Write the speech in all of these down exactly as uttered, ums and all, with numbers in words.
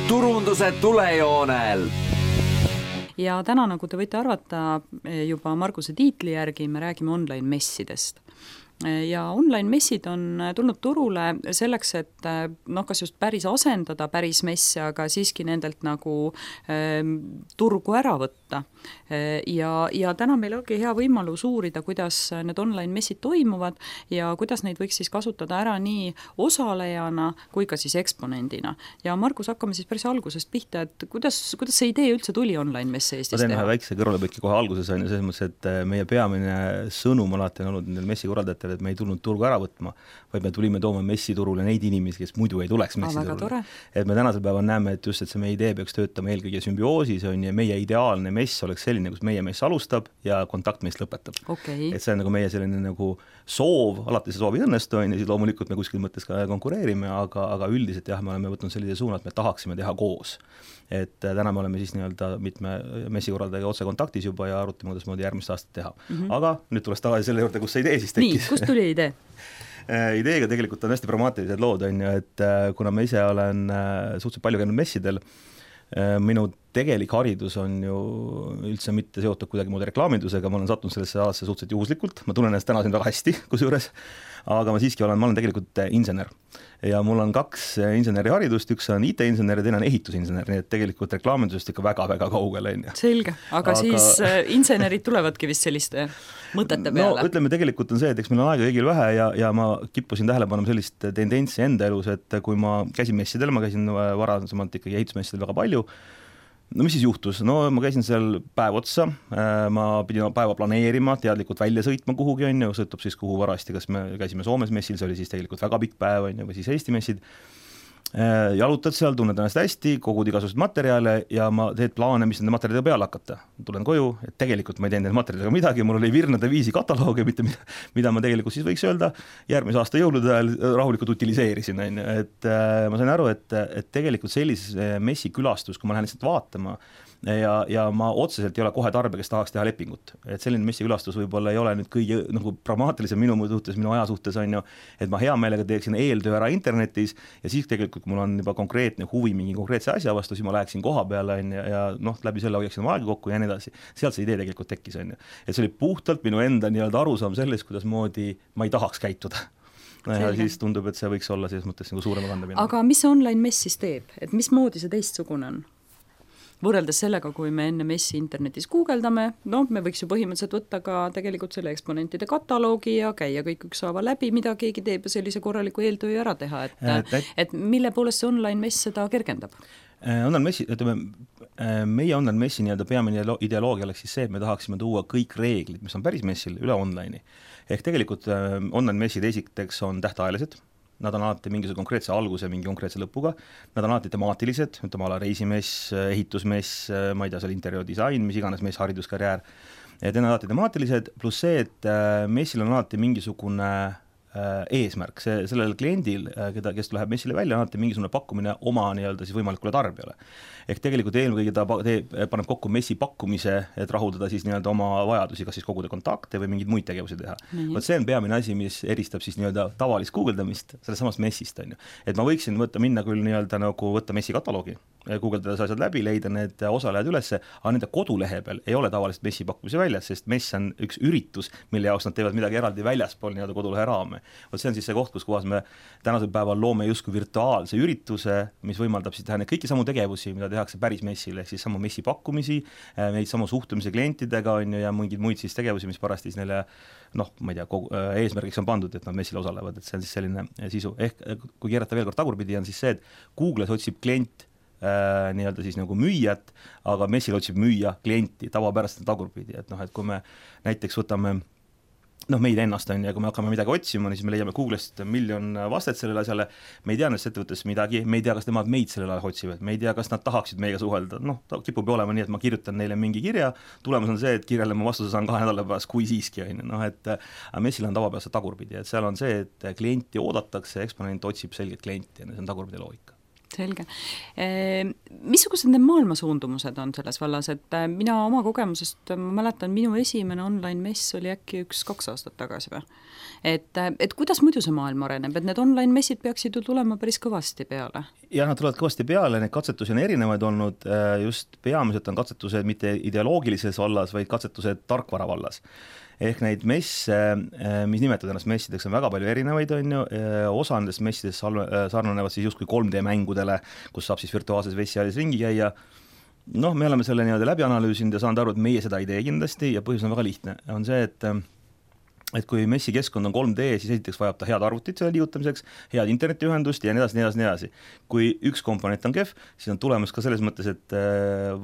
turunduse tulejoonel. Ja täna, nagu te võite arvata, juba Marguse tiitli järgi me räägime online messidest. Ja online messid on tulnud turule selleks, et noh, kas just päris asendada päris messe, aga siiski nendelt nagu äh, turgu ära võtta. Ja, ja täna meil ongi hea võimalus uurida, kuidas need online messid toimuvad ja kuidas neid võiks siis kasutada ära nii osalejana kui ka siis eksponendina. Ja Margus, hakkame siis päris algusest pihta, et kuidas, kuidas see idee üldse tuli online messe Eestis teha? Ma teen ühe väikse kõrvalepõiki kohe alguses on ja selles mõttes, et meie peamine sõnum alati on olnud nendel messikordajatele, et me ei tulnud turgu ära võtma, vaid me tulime tooma messiturule neid inimesi, kes muidu ei tuleks messiturule. Et me tänasel päeval näeme, et just, et see meie idee peaks töötama eelkõige sümbioosis on ja meie ideaalne mess oleks selline, kus meie mess alustab ja kontaktmess lõpetab. Okay. Et see on nagu meie selline nagu soov, alati see soov ei õnnestu on ja siis loomulikult me kuskil mõttes ka konkureerime, aga, aga üldiselt jah, me oleme võtnud sellise suuna, et me tahaksime teha koos. Et täna me oleme siis nii-öelda mitme messikorraldajaga otse kontaktis juba ja arutame, kuidas moodi järgmist aastat teha. Mm-hmm. Aga nüüd tuleks tagasi selle juurde, kus see idee siis tekkis. Nii, kust tuli idee? Ideega tegelikult on hästi pragmaatilised lood, on ju, et kuna ma ise olen suhteliselt palju käinud messidel, minu tegelik haridus on ju üldse mitte seotud kuidagi muud reklaamindusega, ma olen sattunud sellesse alasse suhteliselt juhuslikult, ma tunnen ennast täna siin väga hästi kusjuures, aga ma siiski olen, ma olen tegelikult insener ja mul on kaks inseneri haridust, üks on I T-insener ja teine on ehitusinsener, nii et tegelikult reklaamindusest ikka väga-väga kaugel. Selge, aga, aga siis insenerid tulevadki vist selliste mõtete peale? No ütleme, tegelikult on see, et eks meil on aega kõigil vähe ja, ja ma kippusin tähele panema sellist tendentsi enda elus, et kui ma käisin messidel, ma käisin varasemalt ikkagi ehitusmessidel väga palju. No mis siis juhtus? No ma käisin seal päev otsa, ma pidin päeva planeerima, teadlikult välja sõitma kuhugi on ju, sõltub siis kuhu varasti, kas me käisime Soomes messil, see oli siis tegelikult väga pikk päev on ju, või siis Eesti messid. Jalutad seal, tunned ennast hästi, kogud igasugused materjale ja ma teed plaane, mis nende materjalidega peale hakata. Tulen koju, et tegelikult ma ei teinud nende materjalidega midagi, mul oli virnade viisi kataloogi, mitte mida, mida ma tegelikult siis võiks öelda järgmise aasta jõulude ajal rahulikult utiliseerisin. Et ma sain aru, et, et tegelikult sellise messi külastus, kui ma lähen lihtsalt vaatama, ja, ja ma otseselt ei ole kohe tarbija, kes tahaks teha lepingut. Et selline messi külastus võib-olla ei ole nüüd kõige nagu pragmaatilisem minu suhtes, minu aja suhtes on ju, et ma hea meelega teeksin eeltöö ära internetis ja siis tegelikult, kui mul on juba konkreetne huvi mingi konkreetse asja vastu, siis ma läheksin koha peale on, ja, ja noh, läbi selle hoiaksin aega kokku ja nii edasi. Sealt see idee tegelikult tekkis on ju. Et see oli puhtalt minu enda nii-öelda arusaam sellest, kuidas moodi ma ei tahaks käituda. Ja siis tundub, et see võiks olla selles mõttes nagu suurema kandamine. Aga mis see online mess siis teeb? Et mis moodi see teistsugune on? Võrreldes sellega, kui me enne messi internetis guugeldame, no me võiks ju põhimõtteliselt võtta ka tegelikult selle eksponentide kataloogi ja käia kõik üksaava läbi, mida keegi teeb ja sellise korraliku eeltöö ära teha, et, et, et mille poolest see online mess seda kergendab? Online messi, ütleme, meie online messi nii-öelda peamine ideoloogia oleks siis see, et me tahaksime tuua kõik reeglid, mis on päris messil, üle online'i. Ehk tegelikult online messid esiteks on tähtajalised. Nad on alati mingisuguse konkreetse alguse, mingi konkreetse lõpuga. Nad on alati temaatilised, ütleme ala reisimess, ehitusmess, ma ei tea, seal interjöödisain, mis iganes mess, hariduskarjäär. Et need on alati temaatilised, pluss see, et messil on alati mingisugune eesmärk. See, sellel kliendil, keda, kes läheb messile välja, on alati mingisugune pakkumine oma nii-öelda siis võimalikule tarbijale. Ehk tegelikult eelkõige ta teeb, paneb kokku messi pakkumise, et rahuldada siis nii-öelda oma vajadusi, kas siis koguda kontakte või mingeid muid tegevusi teha. Mm-hmm. Võt see on peamine asi, mis eristab siis nii-öelda tavalist guugeldamist selles samast messist. On ju. Et ma võiksin võtta minna küll nii-öelda nagu võtta messi kataloogi, guugeldades asjad läbi, leida need osalejad ülesse, aga nende kodulehe peal ei ole tavalist messi pakkumise väljas, sest mess on üks üritus, mille jaoks nad teevad midagi eraldi väljaspool nii-öelda kodulehe raame. Võt see on siis see koht, kus kohas me tänasel päeval loome justkui virtuaalse ürituse, mis võimaldab siis teha neid kõiki samu tegevusi, mida tehakse päris messil, ehk siis samu messi pakkumisi, neid samu suhtumise klientidega on ju, ja mingeid muid siis tegevusi, mis parasti siis neile noh, ma ei tea, kogu, eesmärgiks on pandud, et nad messil osalevad, et see on siis selline sisu. Ehk kui keerata veel kord tagurpidi, on siis see, et Google'is otsib klient äh, nii-öelda siis nagu müüjat, aga messil otsib müüja klienti, tavapärast tagurpidi, et noh, et kui me näiteks võtame noh, meid ennast on ja kui me hakkame midagi otsima, siis me leiame Google'ist miljon vastet sellele asjale, me ei tea nendest ettevõttes midagi, me ei tea, kas nemad meid sellele ajal otsivad, me ei tea, kas nad tahaksid meiega suhelda, noh, ta kipub olema nii, et ma kirjutan neile mingi kirja, tulemus on see, et kirjale ma vastuse saan kahe nädala pärast, kui siiski on, noh, et messil on tavapärast tagurpidi, et seal on see, et klienti oodatakse, eksponent otsib selget klienti ja see on tagurpidi loogika. Selge. Missugused need maailma suundumused on selles vallas, et mina oma kogemusest, ma mäletan, minu esimene online mess oli äkki üks-kaks aastat tagasi või? Et, et kuidas muidu see maailm areneb, et need online messid peaksid ju tulema päris kõvasti peale? Ja nad tulevad kõvasti peale, need katsetusi on erinevaid olnud, just peamiselt on katsetused mitte ideoloogilises vallas, vaid katsetused tarkvara vallas. Ehk neid messe, mis nimetavad ennast messideks, on väga palju erinevaid, on ju, osa nendest messidest sarnanevad siis justkui kolm D mängudele, kus saab siis virtuaalses vessialis ringi käia. Noh, me oleme selle nii-öelda läbi analüüsinud ja saanud aru, et meie seda ei tee kindlasti ja põhjus on väga lihtne. On see, et et kui messi keskkond on kolm D, siis esiteks vajab ta head arvutit selle liigutamiseks, head internetiühendust ja nii edasi, nii edasi, nii edasi. Kui üks komponent on kehv, siis on tulemus ka selles mõttes, et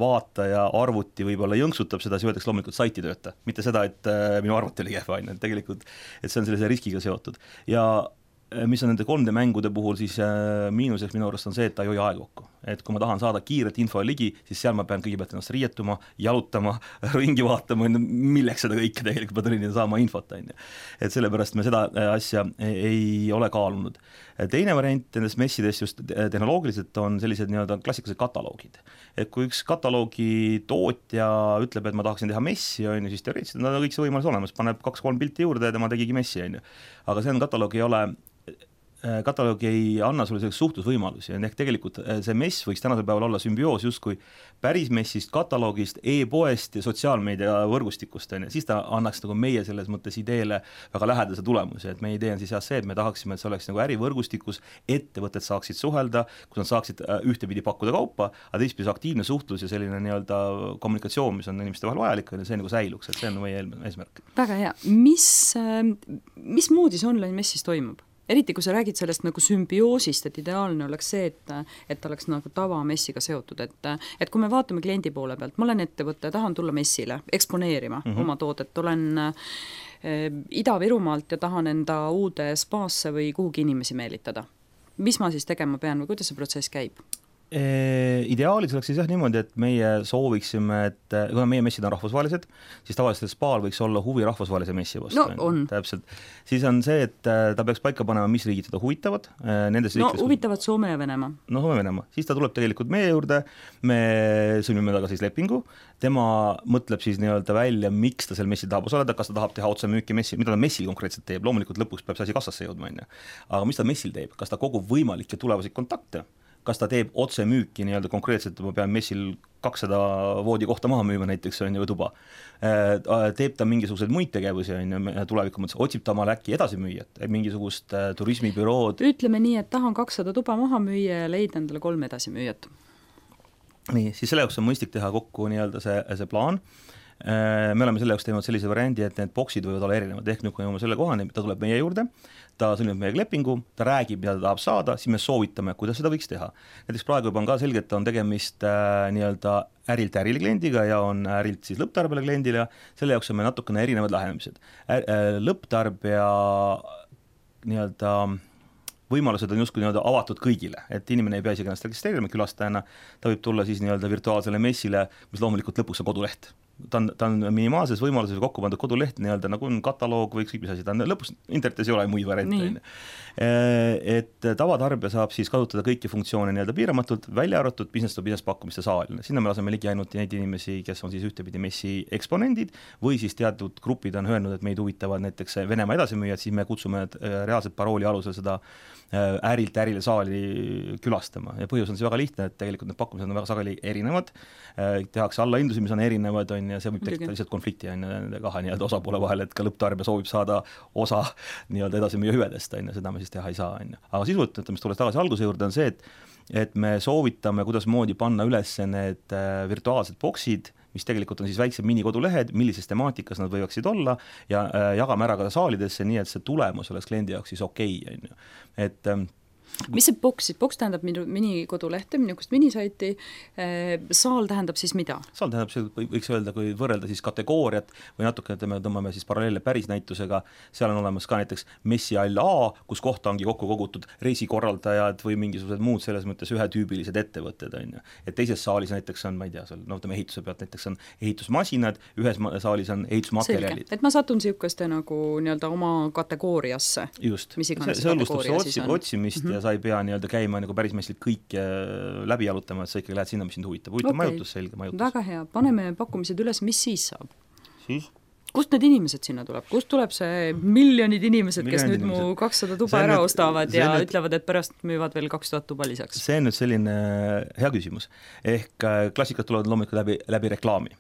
vaataja arvuti võib-olla jõnksutab seda, siis öeldakse loomulikult saiti tööta. Mitte seda, et minu arvuti oli kehv aine, tegelikult, et see on sellise riskiga seotud. Ja mis on nende kolm D mängude puhul, siis miinuseks minu arust on see, et ta ei hoia aega kokku. Et kui ma tahan saada kiiret info ligi, siis seal ma pean kõigepealt ennast riietuma, jalutama, ringi vaatama, milleks seda kõike tegelikult ma tulin saama infot. Et sellepärast me seda asja ei ole kaalunud. Teine variant nendest messidest just tehnoloogiliselt on sellised nii-öelda klassikalised kataloogid. Et kui üks kataloogi tootja ütleb, et ma tahaksin teha messi, on ju, siis teoreetiliselt on kõik see võimalus olemas, paneb kaks-kolm pilti juurde ja tema tegigi messi, on ju. Aga see on kataloog ei ole kataloog ei anna sulle selleks suhtlusvõimalusi, ehk tegelikult see mess võiks tänasel päeval olla sümbioos justkui päris messist, kataloogist, e-poest ja sotsiaalmeedia võrgustikust, siis ta annaks nagu meie selles mõttes ideele väga lähedase tulemusi, et meie idee on siis jah see, et me tahaksime, et see oleks nagu ärivõrgustikus, ettevõtted saaksid suhelda, kus nad saaksid ühtepidi pakkuda kaupa, aga teistpidi aktiivne suhtlus ja selline nii-öelda kommunikatsioon, mis on inimeste vahel vajalik, see nagu säiluks, et see on meie eesmärk. Väga hea. Mis, mis moodi see online messis toimub? Eriti, kui sa räägid sellest nagu sümbioosist, et ideaalne oleks see, et, et ta oleks nagu tavamessiga seotud, et, et kui me vaatame kliendi poole pealt, ma olen ettevõtte, tahan tulla messile, eksponeerima mm -hmm. oma toodet, olen äh, Ida-Virumaalt ja tahan enda uude spaasse või kuhugi inimesi meelitada. Mis ma siis tegema pean või kuidas see protsess käib? Ideaalis oleks siis jah niimoodi, et meie sooviksime, et kuna meie messid on rahvusvahelised, siis tavaliselt spaal võiks olla huvi rahvusvahelise messi vastu. No on. Täpselt. Siis on see, et ta peaks paika panema, mis riigid teda huvitavad. Nendes no riikides, huvitavad Soome ja Venemaa. No Soome ja Venemaa. Siis ta tuleb tegelikult meie juurde, me sõlmime taga siis lepingu, tema mõtleb siis nii-öelda välja, miks ta seal messil tahab osaleda, kas ta tahab teha otsemüüki messi, mida ta messil konkreetselt teeb, loomulikult lõpuks peab see asi kassasse jõudma, aga mis ta messil teeb, kas ta kogub võimalikke tulevasid kontakte, kas ta teeb otse müüki nii-öelda konkreetselt, ma pean messil kakssada voodi kohta maha müüma näiteks, on ju tuba. Teeb ta mingisuguseid muid tegevusi, on ju tuleviku mõttes, otsib ta omale äkki edasimüüjat, mingisugust turismibürood. Ütleme nii, et tahan kakssada tuba maha müüa ja leida endale kolm edasimüüjat. Nii, siis selle jaoks on mõistlik teha kokku nii-öelda see, see plaan. Me oleme selle jaoks teinud sellise variandi, et need boksid võivad olla erinevad, ehk nüüd kui jõuame selle kohani, ta tuleb meie juurde, ta sõlmib meie lepingu, ta räägib, mida ta tahab saada, siis me soovitame, kuidas seda võiks teha. Näiteks praegu juba on ka selge, et on tegemist äh, nii-öelda ärilt ärile kliendiga ja on ärilt siis lõpptarbele kliendile, selle jaoks on meil natukene erinevad lähenemised. Äh, lõpptarbija nii-öelda võimalused on justkui nii-öelda avatud kõigile, et inimene ei pea isegi ennast registreerima külastajana, ta võib tulla siis nii-öelda virtuaalsele messile, mis loomulikult lõpuks on koduleht. Ta on, ta on minimaalses võimaluses kokku pandud koduleht, nii-öelda nagu on kataloog või ükskõik mis asi, ta on lõpuks internetis ei ole muid variante. Et tavatarbija saab siis kasutada kõiki funktsioone nii-öelda piiramatult, välja arvatud business to business pakkumiste saal. Sinna me laseme ligi ainult neid inimesi, kes on siis ühtepidi messi eksponendid või siis teatud grupid on öelnud, et meid huvitavad näiteks Venemaa edasimüüjad, siis me kutsume reaalselt parooli alusel seda ärilt ärile saali külastama ja põhjus on see väga lihtne, et tegelikult need pakkumised on väga sageli erinevad, tehakse allahindusi, mis on erinevad, on ja see võib tekitada lihtsalt konflikti on nende kahe nii-öelda osapoole vahel, et ka lõpptarbija soovib saada osa nii-öelda edasimüüja hüvedest, on, seda me siis teha ei saa. On. Aga sisult, mis tulles tagasi alguse juurde, on see, et, et me soovitame, kuidas moodi panna üles need virtuaalsed boksid, mis tegelikult on siis väiksed minikodulehed, millises temaatikas nad võivaksid olla ja jagame ära ka saalidesse, nii et see tulemus oleks kliendi jaoks siis okei. Okay, et mis see boks, boks tähendab minikodulehte, minukest minisaiti, saal tähendab siis mida? Saal tähendab, see võiks öelda, kui võrrelda siis kategooriat või natuke me tõmbame siis paralleelle päris näitusega, seal on olemas ka näiteks messihall A, kus kohta ongi kokku kogutud reisikorraldajad või mingisugused muud selles mõttes ühetüübilised ettevõtted, on ju. Et teises saalis näiteks on, ma ei tea, seal, no ütleme ehituse pealt näiteks on ehitusmasinad, ühes saalis on ehitusmaterjalid. Et ma satun siukaste nagu nii-öelda oma kategooriasse. Just, see hõlbustab otsimist mm -hmm. ja sa ei pea nii-öelda käima nagu päris messil kõik läbi jalutama, et sa ikkagi lähed sinna, mis sind huvitab. Huvitab okay. majutus, selge majutus. Väga hea, paneme pakkumised üles, mis siis saab? Siis? Kust need inimesed sinna tuleb? Kust tuleb see miljonid inimesed, miljonid kes nüüd inimesed. Mu kakssada tuba ära nüüd, ostavad ja nüüd, ütlevad, et pärast müüvad veel kaks tuhat tuba lisaks? See on nüüd selline hea küsimus. Ehk klassikad tulevad loomulikult läbi, läbi reklaami.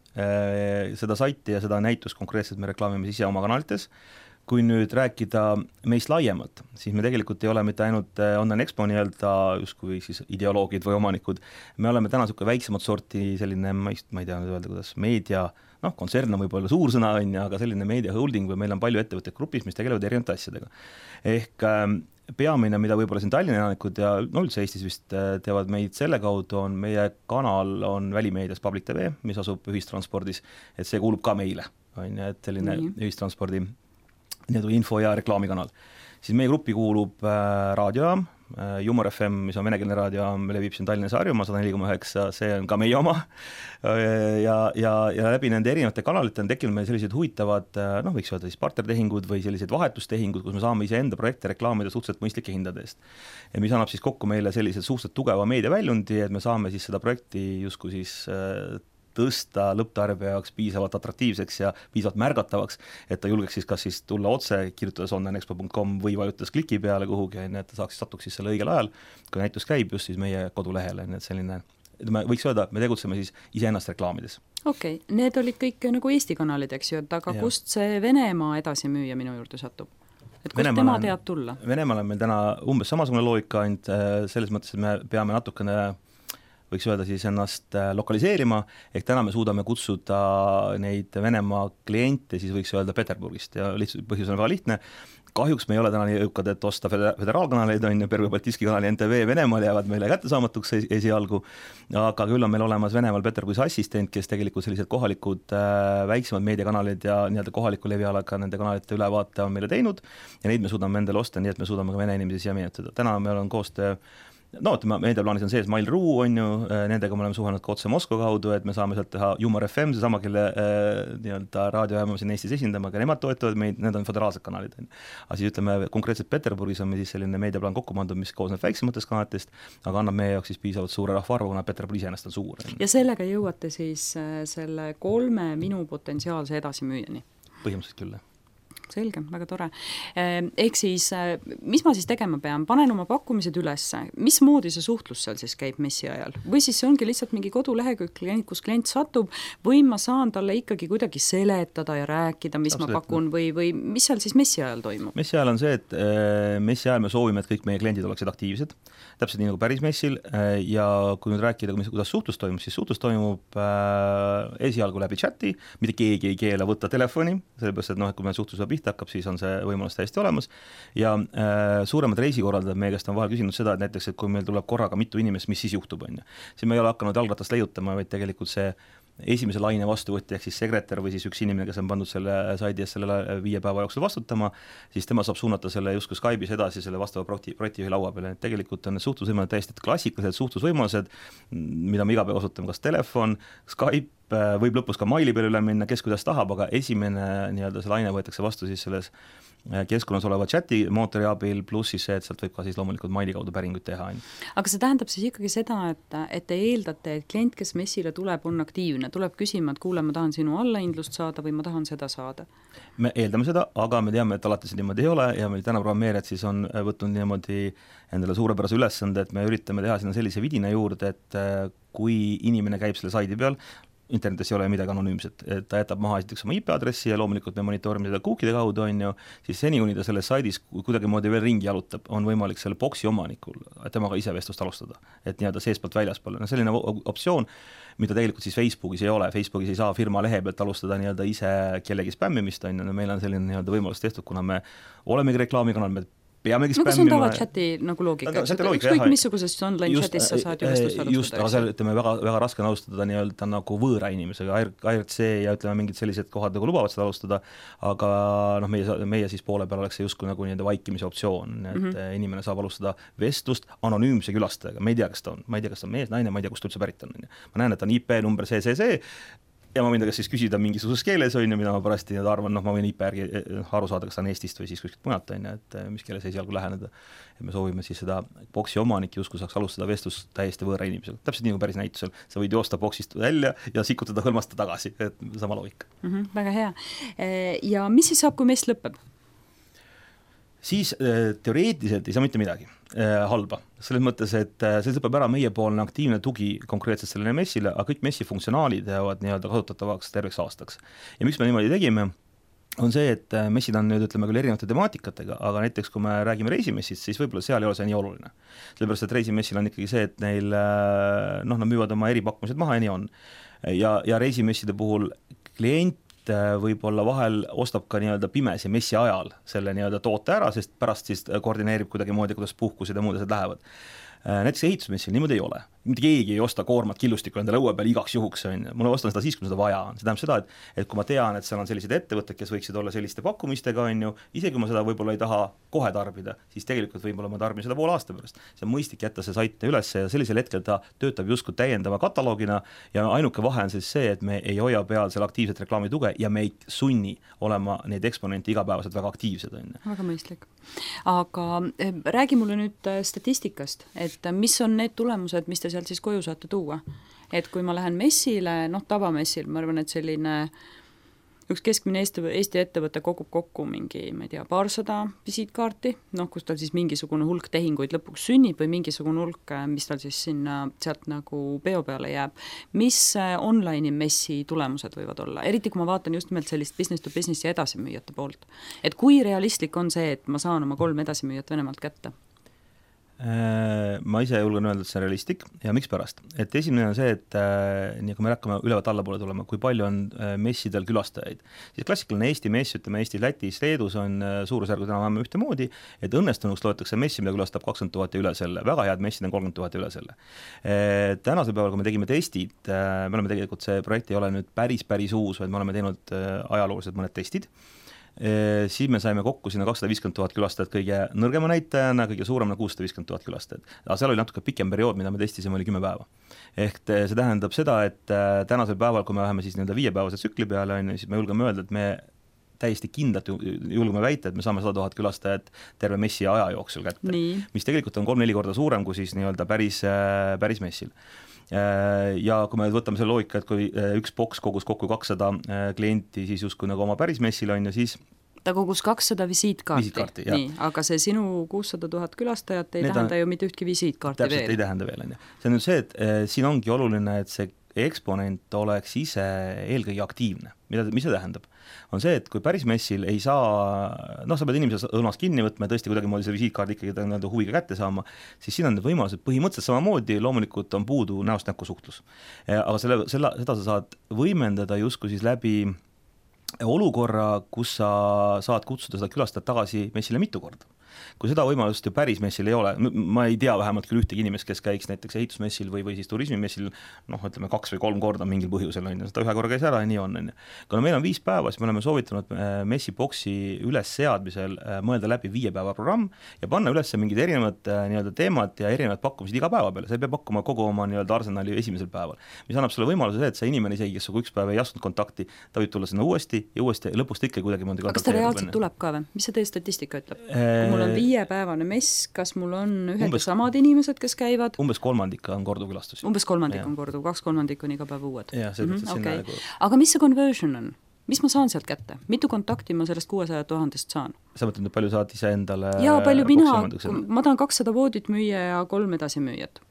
Seda saiti ja seda näitust konkreetselt me reklaamime ise oma kanalites. Kui nüüd rääkida meist laiemalt, siis me tegelikult ei ole mitte ainult Online Expo nii-öelda justkui siis ideoloogid või omanikud, me oleme täna niisugune väiksemat sorti selline, ma ei tea nüüd öelda, kuidas meedia, noh, kontsern on võib-olla suur sõna, on, aga selline meedia holding või meil on palju ettevõtteid grupis, mis tegelevad erinevate asjadega. Ehk peamine, mida võib-olla siin Tallinna elanikud ja no üldse Eestis vist teevad meid selle kaudu, on meie kanal on välimeedias Public T V, mis asub ühistranspordis, et see kuulub ka meile, on, et selline mm. ühistranspordi nii-öelda info- ja reklaamikanal. Siis meie gruppi kuulub äh, raadiojaam, äh, Jumor F M, mis on venekeelne raadiojaam, levib siin Tallinnas Harjumaa sada neli koma üheksa, see on ka meie oma. ja, ja, ja läbi nende erinevate kanalite on tekkinud meil sellised huvitavad, noh, võiks öelda siis partnertehingud või sellised vahetustehingud, kus me saame ise enda projekte reklaamida suhteliselt mõistlike hindade eest. Ja mis annab siis kokku meile sellised suhteliselt tugeva meediaväljundi, et me saame siis seda projekti justkui siis äh, tõsta lõpptarbija jaoks piisavalt atraktiivseks ja piisavalt märgatavaks, et ta julgeks siis kas siis tulla otse, kirjutades online expo punkt com või vajutades kliki peale kuhugi, et ta saaks satuks siis selle õigel ajal, kui näitus käib just siis meie kodulehele, et selline, me võiks öelda, me tegutseme siis iseennast reklaamides. Okei, okay. Need olid kõik nagu Eesti kanalid, eks ju, et aga ja. Kust see Venemaa edasimüüja minu juurde satub? Et kust Venemaal tema teab tulla? Venemaal on meil täna umbes samasugune loogika, ainult selles mõttes, et me peame natukene võiks öelda siis ennast lokaliseerima, ehk täna me suudame kutsuda neid Venemaa kliente, siis võiks öelda Peterburgist ja lihtsalt põhjus on väga lihtne. Kahjuks me ei ole täna nii jõukad, et osta föderaalkanaleid, on ju, Pervõi Baltiski kanali N T V Venemaal jäävad meile kättesaamatuks esialgu, aga küll on meil olemas Venemaal Peterburis assistent, kes tegelikult sellised kohalikud äh, väiksemad meediakanalid ja nii-öelda kohaliku levialaga nende kanalite ülevaate on meile teinud ja neid me suudame endale osta, nii et me suudame ka vene inimesi siia menetada. Täna meil on koostöö no, ütleme, meediaplaanis on sees Mail.ru, on ju, nendega me oleme suhelnud ka otse Moskva kaudu, et me saame sealt teha Jumor F M, see sama, kelle äh, nii-öelda raadiojaama siin Eestis esindama, aga nemad toetavad meid, need on föderaalsed kanalid. Aga siis ütleme, konkreetselt Peterburgis on meil siis selline meediaplaan kokku pandud, mis koosneb väiksematest kanalitest, aga annab meie jaoks siis piisavalt suure rahvaarvu, kuna Peterburi iseenesest on suur. Ja sellega jõuate siis selle kolme minu potentsiaalse edasimüüjani? Põhimõtteliselt küll. Selge, väga tore. Ehk siis, mis ma siis tegema pean? Panen oma pakkumised ülesse. Mis moodi see suhtlus seal siis käib messi ajal? Või siis see ongi lihtsalt mingi kodulehekülg, kus klient satub, või ma saan talle ikkagi kuidagi seletada ja rääkida, mis Absolutely. Ma pakun, või, või mis seal siis messi ajal toimub? Messi ajal on see, et messi ajal me soovime, et kõik meie kliendid oleksid aktiivsed, täpselt nii nagu päris messil, ja kui nüüd rääkida, kuidas suhtlus toimub, siis suhtlus toimub esialgu läbi chati, mitte keegi ei keela võtta telefoni, sellepärast, et noh, et kui me suhtlus pihta hakkab, siis on see võimalus täiesti olemas ja äh, suuremad reisikorraldajad meie käest on vahel küsinud seda, et näiteks, et kui meil tuleb korraga mitu inimest, mis siis juhtub, on ju. Siis me ei ole hakanud jalgratast leiutama, vaid tegelikult see esimese laine vastuvõtti, ehk siis sekretär või siis üks inimene, kes on pandud selle saidi eest sellele viie päeva jooksul vastutama, siis tema saab suunata selle justkui Skype'is edasi selle vastava projekti, projektijuhi laua peale. Et tegelikult on need suhtlusvõimalused täiesti klassikalised suhtlusvõimalused, mida me iga päev osutame, kas telefon, Skype, võib lõpus ka maili peale üle minna, kes kuidas tahab, aga esimene nii-öelda see laine võetakse vastu siis selles keskkonnas oleva chati mootori abil, pluss siis see, et sealt võib ka siis loomulikult maili kaudu päringuid teha. Aga see tähendab siis ikkagi seda, et, et te eeldate, et klient, kes messile tuleb, on aktiivne, tuleb küsima, et kuule, ma tahan sinu allahindlust saada või ma tahan seda saada? Me eeldame seda, aga me teame, et alati see niimoodi ei ole ja meil täna programmeerijad siis on võtnud niimoodi endale suurepärase ülesande, et me üritame teha sinna sellise vidina juurde, et kui inimene käib selle saidi peal, internetis ei ole midagi anonüümset, et ta jätab maha esiteks oma I P-aadressi ja loomulikult me monitoorime seda cookide kaudu, on ju, siis seni, kuni ta selles saidis kuidagi moodi veel ringi jalutab, on võimalik selle boksi omanikul temaga ise vestlust alustada, et nii-öelda seespalt väljaspool. No selline optsioon, mida tegelikult siis Facebookis ei ole, Facebookis ei saa firma lehe pealt alustada nii-öelda ise kellegi spämmimist, on ju, meil on selline nii-öelda võimalus tehtud, kuna me olemegi reklaamikanal, me peamegi spämmima. No kas on tava chati nagu loogika, et ükskõik missugusest online just, chatis sa saad ju vestlust alustada. Just, aga seal ütleme väga, väga raske on alustada nii-öelda nagu võõra inimesega, I R C ja ütleme mingid sellised kohad nagu lubavad seda alustada, aga noh, meie, meie siis poole peal oleks see justkui nagu nii-öelda vaikimise optsioon, et mm -hmm. inimene saab alustada vestlust anonüümse külastajaga, ma ei tea, kas ta on, ma ei tea, kas ta on mees, naine, ma ei tea, kust üldse pärit on. Ma näen, et on I P number see, see, see, ja ma võin ta kas siis küsida mingisuguses keeles, on ju, mida ma parasti arvan, noh, ma võin I P järgi aru saada, kas ta on Eestist või siis kuskilt mujalt, on ju, et mis keeles esialgu läheneda. Et me soovime siis seda boksi omanik justkui saaks alustada vestlust täiesti võõra inimesel. Täpselt nii kui päris näitusel. Sa võid joosta boksist välja ja sikutada hõlmasta tagasi, et sama loogika. Mm -hmm, väga hea. Ja mis siis saab, kui mess lõpeb? Siis teoreetiliselt ei saa mitte midagi eh, halba. Selles mõttes, et see lõpeb ära meiepoolne aktiivne tugi konkreetselt sellele messile, aga kõik messi funktsionaalid jäävad nii-öelda kasutatavaks terveks aastaks. Ja miks me niimoodi tegime, on see, et messid on nüüd, ütleme küll erinevate temaatikatega, aga näiteks kui me räägime reisimessist, siis võib-olla seal ei ole see nii oluline. Sellepärast, et reisimessil on ikkagi see, et neil, noh, nad müüvad oma eripakkumised maha ja nii on. Ja, ja reisimesside puhul klient võib-olla vahel ostab ka nii-öelda pimesi messi ajal selle nii-öelda toote ära, sest pärast siis koordineerib kuidagi moodi, kuidas puhkused ja muud asjad lähevad. Näiteks ehitusmessil niimoodi ei ole. Mitte keegi ei osta koormat killustikku endale õue peal igaks juhuks. Mulle ostan seda siis, kui seda vaja on. See tähendab seda, et, et kui ma tean, et seal on sellised ettevõtted, kes võiksid olla selliste pakkumistega, on ju, isegi kui ma seda võib-olla ei taha kohe tarbida, siis tegelikult võib-olla ma tarbin seda pool aasta pärast. See on mõistlik jätta see sait üles ja sellisel hetkel ta töötab justkui täiendava kataloogina ja ainuke vahe on siis see, et me ei hoia peal selle aktiivset reklaamituge ja me ei sunni olema neid eksponente igapäevaselt väga aktiivsed. On. Väga mõistlik. Aga räägi mulle nüüd statistikast, et mis on need tulemused, mis te sealt siis koju saate tuua. Et kui ma lähen messile, noh tavamessil, ma arvan, et selline üks keskmine Eesti, Eesti ettevõte kogub kokku mingi, ma ei tea, paarsada visiitkaarti, noh, kus tal siis mingisugune hulk tehinguid lõpuks sünnib või mingisugune hulk, mis tal siis sinna sealt nagu peo peale jääb. Mis online messi tulemused võivad olla? Eriti kui ma vaatan just nimelt sellist business to business ja edasimüüjate poolt. Et kui realistlik on see, et ma saan oma kolm edasimüüjat Venemaalt kätte? Ma ise julgen öelda, et see on realistlik ja miks pärast. Et esimene on see, et äh, nii kui me hakkame ülevalt allapoole tulema, kui palju on äh, messidel külastajaid. Siis klassikaline Eesti mess, ütleme Eesti, Lätis, Leedus on äh, suurusjärgus enam ühte moodi, et õnnestunuks loetakse messi, mida külastab kakskümmend tuhat ja üle selle. Väga head messid on kolmkümmend tuhat ja üle selle. Äh, tänasel päeval, kui me tegime testid, äh, me oleme tegelikult, see projekt ei ole nüüd päris, päris uus, vaid me oleme teinud äh, ajalooliselt mõned testid. E, siis me saime kokku sinna kakssada viiskümmend tuhat külastajat kõige nõrgema näitajana, kõige suuremana kuussada viiskümmend tuhat külastajat. Aga seal oli natuke pikem periood, mida me testisime, oli kümme päeva. Ehk see tähendab seda, et tänasel päeval, kui me läheme siis nii-öelda viiepäevase tsükli peale, on, siis me julgeme öelda, et me täiesti kindlalt julgeme väita, et me saame sada tuhat külastajat terve messi aja jooksul kätte. Nii. Mis tegelikult on kolm-neli korda suurem kui siis nii-öelda päris, päris messil. Ja kui me võtame selle loogika, et kui üks boks kogus kokku kakssada klienti, siis justkui nagu oma päris messil on ja siis ta kogus kakssada visiitkaarti, visiitkaarti nii, aga see sinu kuussada tuhat külastajat ei Need tähenda on, ju mitte ühtki visiitkaarti täpselt veel. Täpselt ei tähenda veel. On. See on nüüd see, et eh, siin ongi oluline, et see eksponent oleks ise eelkõige aktiivne. Mida, mis see tähendab? On see, et kui päris messil ei saa, noh, sa pead inimese õlmas kinni võtma ja tõesti kuidagi moodi selle visiitkaardi ikkagi huviga kätte saama, siis siin on need võimalused põhimõtteliselt samamoodi, loomulikult on puudu näost näkku suhtlus. Aga selle, selle, seda sa saad võimendada justkui siis läbi olukorra, kus sa saad kutsuda seda külastajat tagasi messile mitu korda. Kui seda võimalust ju päris messil ei ole, ma ei tea vähemalt küll ühtegi inimest, kes käiks näiteks ehitusmessil või, või siis turismimessil, noh, ütleme kaks või kolm korda mingil põhjusel, on, seda ühe korra käis ära ja nii on. on. Kuna meil on viis päeva, siis me oleme soovitanud messiboksi üles seadmisel mõelda läbi viie päeva programm ja panna üles mingid erinevad nii-öelda teemad ja erinevad pakkumised iga päeva peale. See peab pakkuma kogu oma nii-öelda arsenali esimesel päeval. Mis annab sulle võimaluse see, et see inimene isegi, kes üks päev ei astunud kontakti, ta võib tulla sinna uuesti ja uuesti ja lõpust ikka kuidagi mõnda kontakti. Aga kas ta reaalselt tuleb ka või? Mis see teie statistika ütleb? Mul on viiepäevane mess, kas mul on ühed umbes, samad inimesed, kes käivad? Umbes kolmandik on korduvkülastusi. Umbes kolmandik ja. on korduv, kaks kolmandik on iga päev uued. Ja, mm -hmm, okay. nagu... Aga mis see conversion on? Mis ma saan sealt kätte? Mitu kontakti ma sellest kuuesaja tuhandest saan? Sa mõtled, palju saad ise endale? Jaa, palju mina, ma tahan kakssada voodit müüa ja kolm edasimüüjat.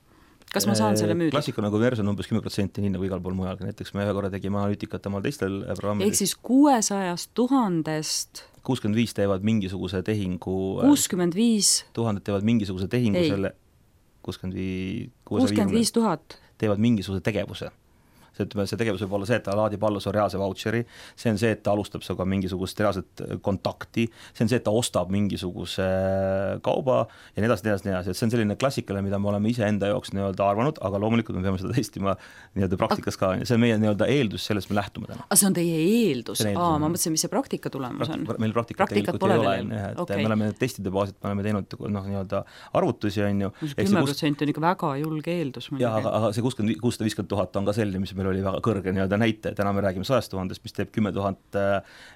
Kas ma saan selle müüda? Klassikuna conversion on umbes kümme protsenti nii nagu igal pool mujal. Näiteks me ühe korra tegime analüütikat omal teistel programmidel. Ehk siis kuuesajast tuhandest kuuskümmend viis teevad mingisuguse tehingu kuuskümmend viis tuhandet teevad mingisuguse tehingu Ei. selle kuuskümmend viis tuhat teevad mingisuguse tegevuse. See, ütleme, see tegevus võib olla see, et ta laadib alla su reaalse voucheri, see on see, et ta alustab suga mingisugust reaalset kontakti, see on see, et ta ostab mingisuguse kauba ja nii edasi, nii edasi, nii edasi. See on selline klassikaline, mida me oleme ise enda jaoks nii-öelda arvanud, aga loomulikult me peame seda testima nii-öelda praktikas ka. See on meie nii-öelda eeldus, sellest me lähtume täna. Aga see on teie eeldus? Aa, ma mõtlesin, mis see praktika tulemus on. Praktik, meil praktikat Praktikat tegelikult ei ole. Et okay. Me oleme testide baasit, me oleme teinud noh, nii-öelda arvutusi. On ju. kümme protsenti on ikka väga julge eeldus. Ja, aga, aga see kuussada viiskümmend tuhat on ka selline, mis meil oli väga kõrge nii-öelda näite, täna me räägime sajast tuhandest, mis teeb kümme tuhat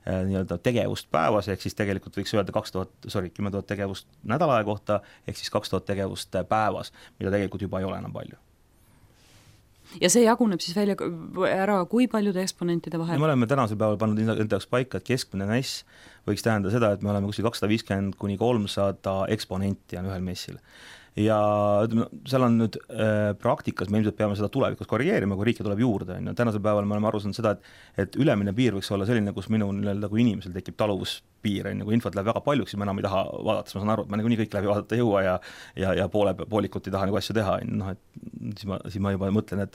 nii-öelda tegevust päevas, ehk siis tegelikult võiks öelda kaks tuhat, sorry, kümme tuhat tegevust nädalaja kohta, ehk siis kaks tuhat tegevust päevas, mida tegelikult juba ei ole enam palju. Ja see jaguneb siis välja ära kui paljude eksponentide vahel? Ja me oleme tänasel päeval pannud enda jaoks paika, et keskmine mäss võiks tähendada seda, et me oleme kuskil kakssada viiskümmend kuni kolmsada eksponenti on ühel messil. Ja seal on nüüd äh, praktikas, me ilmselt peame seda tulevikus korrigeerima, kui riike tuleb juurde. Ja tänasel päeval me oleme aru saanud seda, et, et ülemine piir võiks olla selline, kus minu nii-öelda kui inimesel tekib taluvuspiir, kui infot läheb väga paljuks, siis ma enam ei taha vaadata, siis ma saan aru, et ma nii kõik läbi vaadata jõua ja, ja, ja poole, poolikut ei taha nagu asju teha. No, et, siis, ma, siis ma juba mõtlen, et,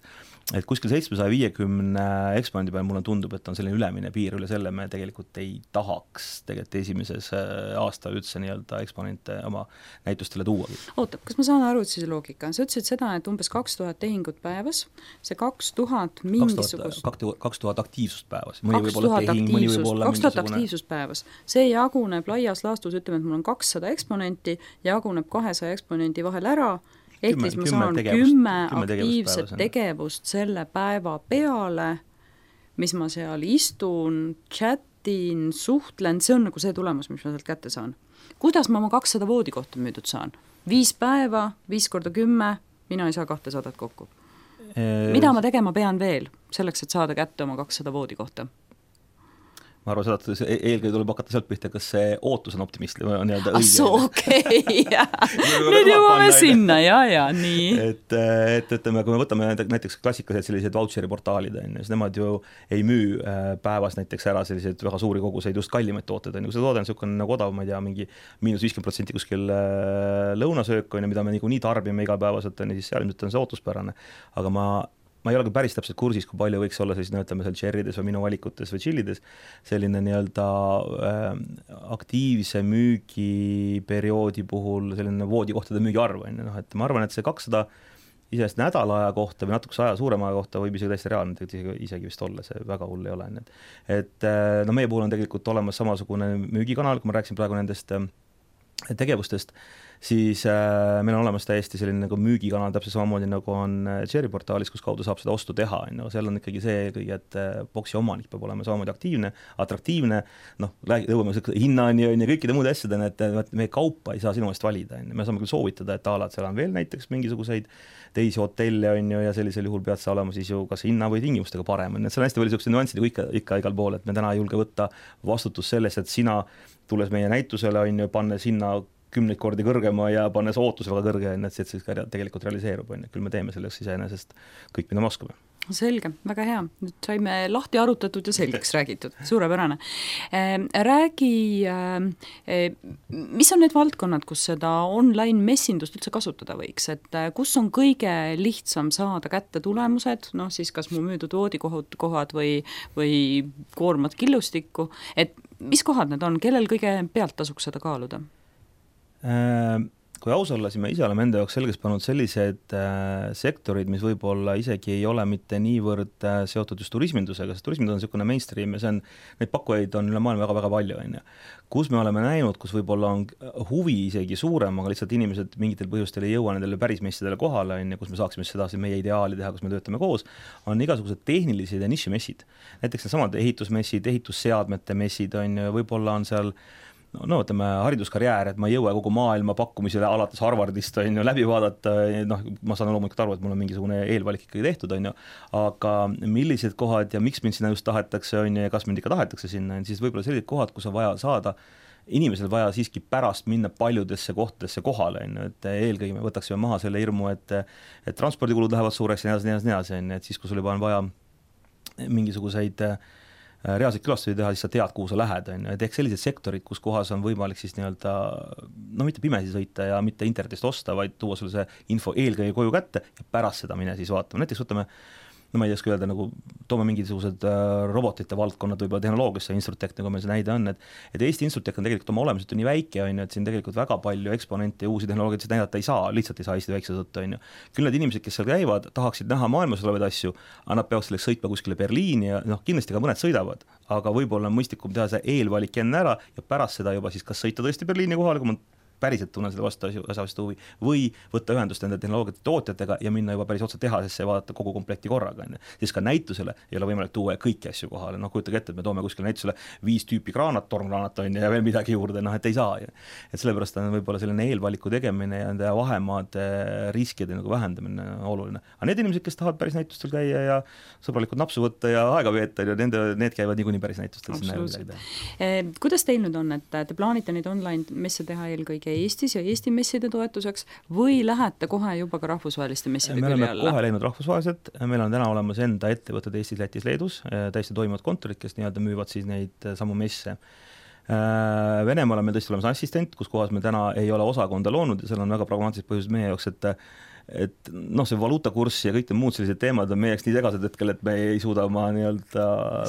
et kuskil seitsmesaja viiekümne eksponendi peal mulle tundub, et on selline ülemine piir, üle selle me tegelikult ei tahaks tegelikult esimeses aasta üldse nii-öelda eksponente oma näitustele tuuagi. Oota, kas ma saan aru, et siis loogika? Sa ütlesid seda, et umbes kaks tuhat tehingut päevas, see kaks tuhat mingisugust... kaks tuhat aktiivsust päevas. kaks tuhat aktiivsust, kaks tuhat aktiivsust päevas. See jaguneb laias laastus, ütleme, et mul on kakssada eksponenti, jaguneb kahesaja eksponendi vahel ära, ehk siis ma saan kümme aktiivset tegevust selle päeva peale, mis ma seal istun, chatin, suhtlen, see on nagu see tulemus, mis ma sealt kätte saan. Kuidas ma oma kakssada voodikohta müüdud saan? Viis päeva, viis korda kümme, mina ei saa kahtesadat kokku. Mida ma tegema pean veel selleks, et saada kätte oma kakssada voodikohta? Ma arvan seda, et eelkõige tuleb hakata sealt pihta, kas see ootus on optimistli või on nii-öelda õige. Asso, okei, jah. Nüüd jõuame sinna, ja, ja, nii. Et, et, ütleme, kui me võtame näiteks klassikalised sellised voucheri portaalid, siis nemad ju ei müü päevas näiteks ära selliseid väga suuri koguseid, just kallimaid tooted. Kui see toode on niisugune nagu odav, ma ei tea, mingi miinus viiskümmend protsenti kuskil lõunasöök, mida me nii tarbime igapäevaselt, siis seal on see ootuspärane. Aga ma ma ei ole ka päris täpselt kursis, kui palju võiks olla siis, no ütleme, seal cherrydes või minu valikutes või chillides selline nii-öelda äh, aktiivse müügiperioodi puhul selline voodikohtade müügiarv. No, et ma arvan, et see kakssada isest nädalaja kohta või natukese aja suurema aja kohta võib isegi täiesti reaalne, isegi, isegi vist olla, see väga hull ei ole. Et no meie puhul on tegelikult olemas samasugune müügikanal, kui ma rääksin praegu nendest tegevustest, siis äh, meil on olemas täiesti selline nagu müügikanal täpselt samamoodi nagu on Cherry portaalis, kus kaudu saab seda ostu teha. No, seal on ikkagi see kõige, et boksi omanik peab olema samamoodi aktiivne, atraktiivne, noh, lõuame hinnani ja kõikide muude asjadena, et meie kaupa ei saa sinu eest valida. Me saame küll soovitada, et alad seal on veel näiteks mingisuguseid teisi hotelle on ju, ja sellisel juhul pead sa olema siis ju kas hinna või tingimustega parem. Et see on hästi palju sellised nüansid ikka, ikka igal pool, et me täna ei julge võtta vastutus sellest, et sina tulles meie näitusele on ju, pannes hinna kümneid kordi kõrgema ja pannes ootus väga kõrge, et see siis ka tegelikult realiseerub. Küll me teeme selleks iseenesest kõik, mida me oskame. Selge, väga hea. Nüüd saime lahti arutatud ja selgeks räägitud. Suurepärane. Räägi, mis on need valdkonnad, kus seda online messindust üldse kasutada võiks? Et kus on kõige lihtsam saada kätte tulemused, noh siis kas mu müüdud voodikohad või, või koormad killustikku, et mis kohad need on, kellel kõige pealt tasuks seda kaaluda? Kui aus olla, siis me ise oleme enda jaoks selgeks pannud sellised sektorid, mis võib-olla isegi ei ole mitte niivõrd seotud just turismindusega, sest turismindus on niisugune mainstream ja see on, neid pakkujaid on üle maailma väga-väga palju. On ja. Kus me oleme näinud, kus võib-olla on huvi isegi suurem, aga lihtsalt inimesed mingitel põhjustel ei jõua nendele päris messidele kohale, on ja, kus me saaksime seda meie ideaali teha, kus me töötame koos, on igasugused tehnilised ja nišimessid. Näiteks needsamad ehitusmessid, ehitusseadmete messid, on, võib-olla on seal no, no ütleme, hariduskarjäär, et ma ei jõua kogu maailma pakkumisele alates Harvardist on ju, läbi vaadata, noh, ma saan loomulikult aru, et mul on mingisugune eelvalik ikkagi tehtud, on ju, aga millised kohad ja miks mind sinna just tahetakse, on ju, ja kas mind ikka tahetakse sinna, siis võib-olla sellised kohad, kus on vaja saada, inimesel vaja siiski pärast minna paljudesse kohtadesse kohale, on ju, et eelkõige me võtaksime maha selle hirmu, et, et transpordikulud lähevad suureks ja nii edasi, nii edasi, on ju, et siis, kui sul juba on vaja mingisuguseid reaalseid külastusi teha, siis sa tead, kuhu sa lähed, on ju, et ehk sellised sektorid, kus kohas on võimalik siis nii-öelda, no mitte pimesi sõita ja mitte internetist osta, vaid tuua sulle see info eelkõige koju kätte ja pärast seda mine siis vaatama. Näiteks võtame, no ma ei oska öelda, nagu toome mingisugused robotite valdkonnad võib-olla tehnoloogiasse, Instrutech, nagu meil see näide on, et, et Eesti Instrutech on tegelikult oma olemiselt nii väike, on ju, et siin tegelikult väga palju eksponente ja uusi tehnoloogiaid näidata ei saa, lihtsalt ei saa Eesti väikse tõttu, on ju. Küll need inimesed, kes seal käivad, tahaksid näha maailmas olevaid asju, aga nad peavad selleks sõitma kuskile Berliini ja noh, kindlasti ka mõned sõidavad, aga võib-olla on mõistlikum teha see eelvalik enne ära ja pärast seda juba siis kas sõita tõesti Berliini kohale, kui ma päriselt tunnen selle vastu asjast huvi, või võtta ühendust nende tehnoloogiate tootjatega ja minna juba päris otse tehasesse ja vaadata kogu komplekti korraga. Siis ka näitusele ei ole võimalik tuua kõiki asju kohale, noh kujutage ette, et me toome kuskile näitusele viis tüüpi kraanat, tormkraanat on ja veel midagi juurde, noh et ei saa. Et sellepärast on võib-olla selline eelvaliku tegemine ja nende vahemaade riskide nagu vähendamine oluline. Aga need inimesed, kes tahavad päris näitustel käia ja sõbralikult napsu võtta ja aega veeta, ja nende, need käivad niikuinii päris näitustel. Kuidas teil nüüd on, et te plaanite neid online messe teha eelkõige Eestis ja Eesti messide toetuseks või lähete kohe juba ka rahvusvaheliste messide külje alla? Me oleme kohe läinud rahvusvaheliselt, meil on täna olemas enda ettevõtted Eestis, Lätis, Leedus, täiesti toimivad kontorid, kes nii-öelda müüvad siis neid samu messe. Venemaal on meil tõesti olemas assistent, kus kohas me täna ei ole osakonda loonud ja seal on väga pragmaatilised põhjused meie jaoks, et et noh, see valuutakurss ja kõik need muud sellised teemad on meie jaoks nii segased hetkel, et me ei suuda oma nii-öelda